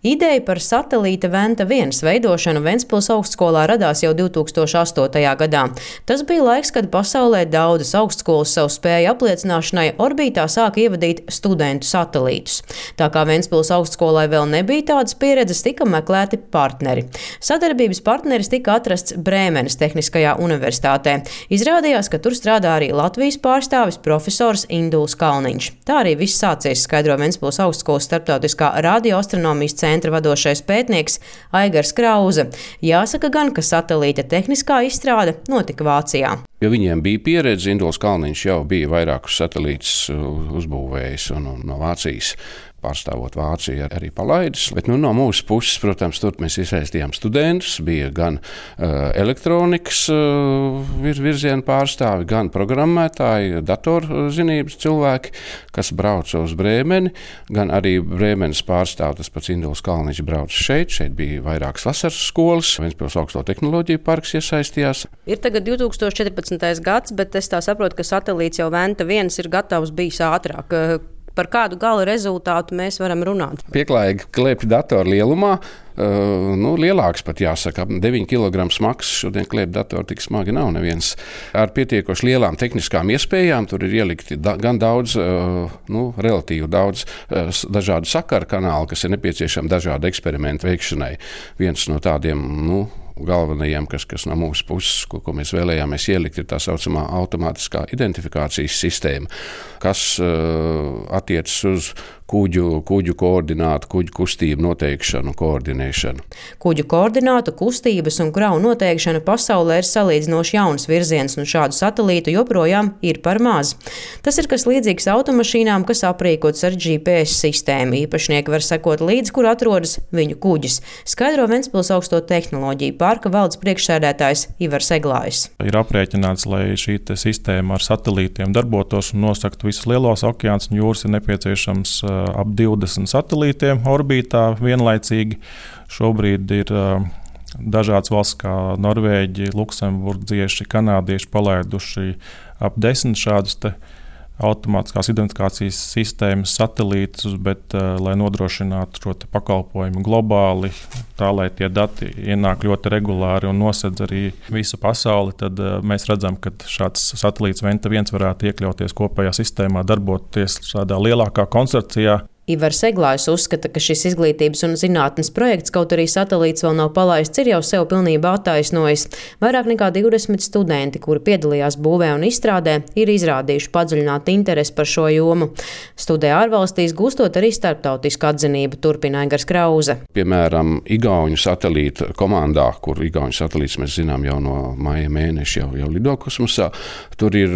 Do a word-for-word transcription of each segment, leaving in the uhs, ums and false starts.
Ideja par satelīta Venta viens veidošanu Ventspils augstskolā radās jau divtūkstoš astotajā gadā. Tas bija laiks, kad pasaulē daudzas augstskolas savu spēju apliecināšanai orbītā sāka ievadīt studentu satelītus. Tā kā Ventspils augstskolai vēl nebija tādas pieredzes, tika meklēti partneri. Sadarbības partneris tika atrasts Brēmenes Tehniskajā universitātē. Izrādījās, ka tur strādā arī Latvijas pārstāvis profesors Induls Kalniņš. Tā arī viss sācies, skaidro Ventspils augstskolas starptautiskā radioastronomijas centra vadošais pētnieks Aigars Krauze. Jāsaka gan, ka satelīta tehniskā izstrāde notika Vācijā. Jo viņiem bija pieredze, Induls Kalniņš jau bija vairākus satelītus uzbūvējis un, un no Vācijas. Pārstāvot Vāciju arī palaidis. Bet nu, no mūsu puses, protams, tur mēs iesaistījām studentus. Bija gan uh, elektronikas uh, vir, virziena pārstāvi, gan programmētāji, datorzinības cilvēki, kas brauca uz Brēmeni, gan arī Brēmenes pārstāvi, tas pats Induls Kalniņš brauca šeit. Šeit bija vairākas vasaras skolas, Ventspils augsto tehnoloģiju parks iesaistījās. Ir tagad divtūkstoš četrpadsmitais gads, bet es tā saprotu, ka satelīts jau Venta viens ir gatavs bijis ātrāk. Par kādu gala rezultātu mēs varam runāt? Pieklājīgi klēpj datoru lielumā, uh, nu, lielāks pat jāsaka, deviņi kilogrami smags. Šodien klēpj datoru tik smagi nav neviens. Ar pietiekoši lielām tehniskām iespējām tur ir ielikti da, gan daudz, uh, nu, relatīvi daudz uh, dažādu sakaru kanālu, kas ir nepieciešami dažādu eksperimentu veikšanai. Viens no tādiem, nu, galvenajiem, kas, kas no mūsu puses, ko, ko mēs vēlējāmies ielikt, ir tā saucamā automātiskā identifikācijas sistēma, kas uh, attiecas uz kuģu, kuģu koordinātu, kuģu kustību noteikšanu, koordinēšanu. Kuģu koordinātu, kustības un kravu noteikšana pasaulē ir salīdzinoši jauns virziens, un šādu satelītu joprojām ir par maz. Tas ir kas līdzīgs automašīnām, kas aprīkots ar G P S sistēmu. Īpašnieki var sekot līdzi, kur atrodas viņu kuģis. Skaidro Ventspils augsto tehnoloģiju parka valdes priekšsēdētājs Ivars Eglājs. Ir aprēķināts, lai šī sistēma ar satelītiem darbotos un nosaktu visus lielos okeānus un jūras, ir nepieciešams ap divdesmit satelītiem orbītā vienlaicīgi. Šobrīd ir dažādas valsts kā Norvēģi, Luksemburgieši, kanādieši palaiduši ap desmit šādus te automātiskās identifikācijas sistēmas satelītus, bet, uh, lai nodrošinātu šo pakalpojumu globāli, tā lai tie dati ienāk ļoti regulāri un nosedz arī visu pasauli, tad uh, mēs redzam, ka šāds satelīts Venta viens varētu iekļauties kopējā sistēmā, darboties tādā lielākā konsorcijā. Ivars Eglājs uzskata, ka šis izglītības un zinātnes projekts, kaut arī satelīts vēl nav palaists, ir jau sev pilnībā attaisnojis. Vairāk nekā divdesmit studenti, kuri piedalījās būvē un izstrādē, ir izrādījuši padziļinātu interesi par šo jomu. Studē ārvalstīs gūstot arī starptautisku atzinību, turpina Aigars Krauze. Piemēram, Igauņu satelīta komandā, kur Igauņu satelīts mēs zinām jau no maija mēneša jau, jau lido kosmosā, tur ir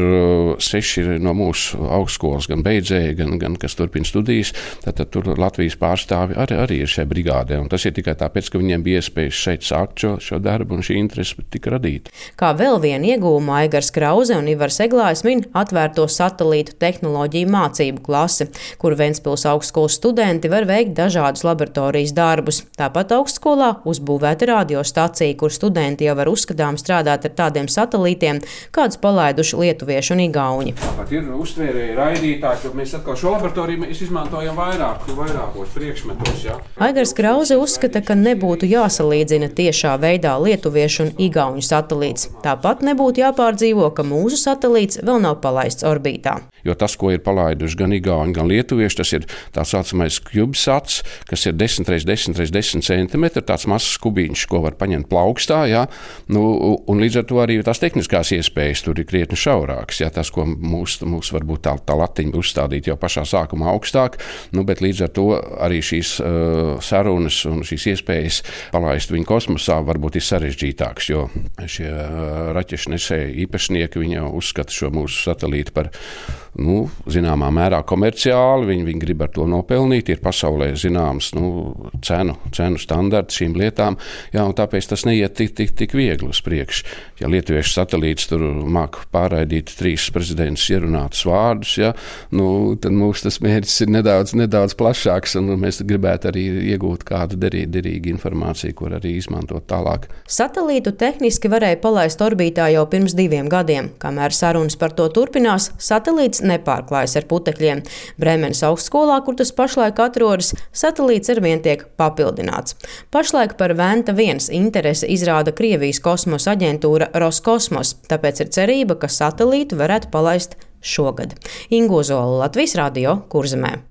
seši no mūsu augstskolas, gan beidzēji, gan, gan kas turpina studijas. Tātad tur Latvijas pārstāvi arī, arī ir šajā brigādē. Un tas ir tikai tāpēc, ka viņiem bija iespējas šeit sākt šo, šo darbu un šī interese tika radīta. Kā vēl vienu iegūmu Aigars Krauze un Ivars Eglājs min atvērto satelītu tehnoloģiju mācību klasi, kur Ventspils augstskolas studenti var veikt dažādus laboratorijas darbus. Tāpat augstskolā uzbūvēta radiostacija, kur studenti jau var uzskatām strādāt ar tādiem satelītiem, kādus palaiduši lietuvieši un igauņi. Tāpat ir uztvērēji raidītāji, ka mēs atkal šo laboratoriju mēs izmantojam vairāk, vairākos priekšmetos. Ja? Aigars Krauze uzskata, ka nebūtu jāsalīdzina tiešā veidā lietuviešu un igauņu satelīts. Tāpat nebūtu jāpārdzīvo, ka mūsu satelīts vēl nav palaists orbītā. Jo tas, ko ir palaiduši gan igauņi, gan lietuvieši, tas ir tā saucamais CubeSats, kas ir desmit reiz desmit reiz desmit centimetri, tāds mazs kubiņš, ko var paņemt plaukstā. Ja? Nu, un līdz ar to arī tās tehniskās iespējas tur ir krietni šaurākas. Ja? Tas, ko mūs, mūs varbūt tā, tā latiņa uzstādīt jau pašā sākumā augstāk, nu, bet līdz ar to arī šīs uh, sarunas un šīs iespējas palaist viņu kosmosā varbūt ir sarežģītāks, jo šie uh, raķešu nesēji īpašnieki, viņi jau uzskata šo mūsu satelītu par, nu, zināmā mērā komerciāli, viņi, viņi grib ar to nopelnīt, ir pasaulē zināms, nu, cenu, cenu standarti šīm lietām, jā, un tāpēc tas neiet tik, tik, tik viegli uz priekšu. Ja lietuviešu satelīts tur māk pārraidīt trīs prezidentus ierunātus vārdus, ja, nu, tad mūsu tas mērķis ir nedaudz, nedaudz plašāks, un mēs gribētu arī iegūt kādu derīgu, derīgu informāciju, kur arī izmantot tālāk. Satelītu tehniski varēja palaist orbītā jau pirms diviem gadiem. Kamēr sarunas par to turpinās, satelīts nepārklājas ar putekļiem. Bremenes augstskolā, kur tas pašlaik atrodas, satelīts arvien tiek papildināts. Pašlaik par Venta viens interese izrāda Krievijas kosmosa aģentūra Roskosmos, tāpēc ir cerība, ka satelītu varētu palaist šogad. Inga Ozola, Latvijas Radio, Kurzemē.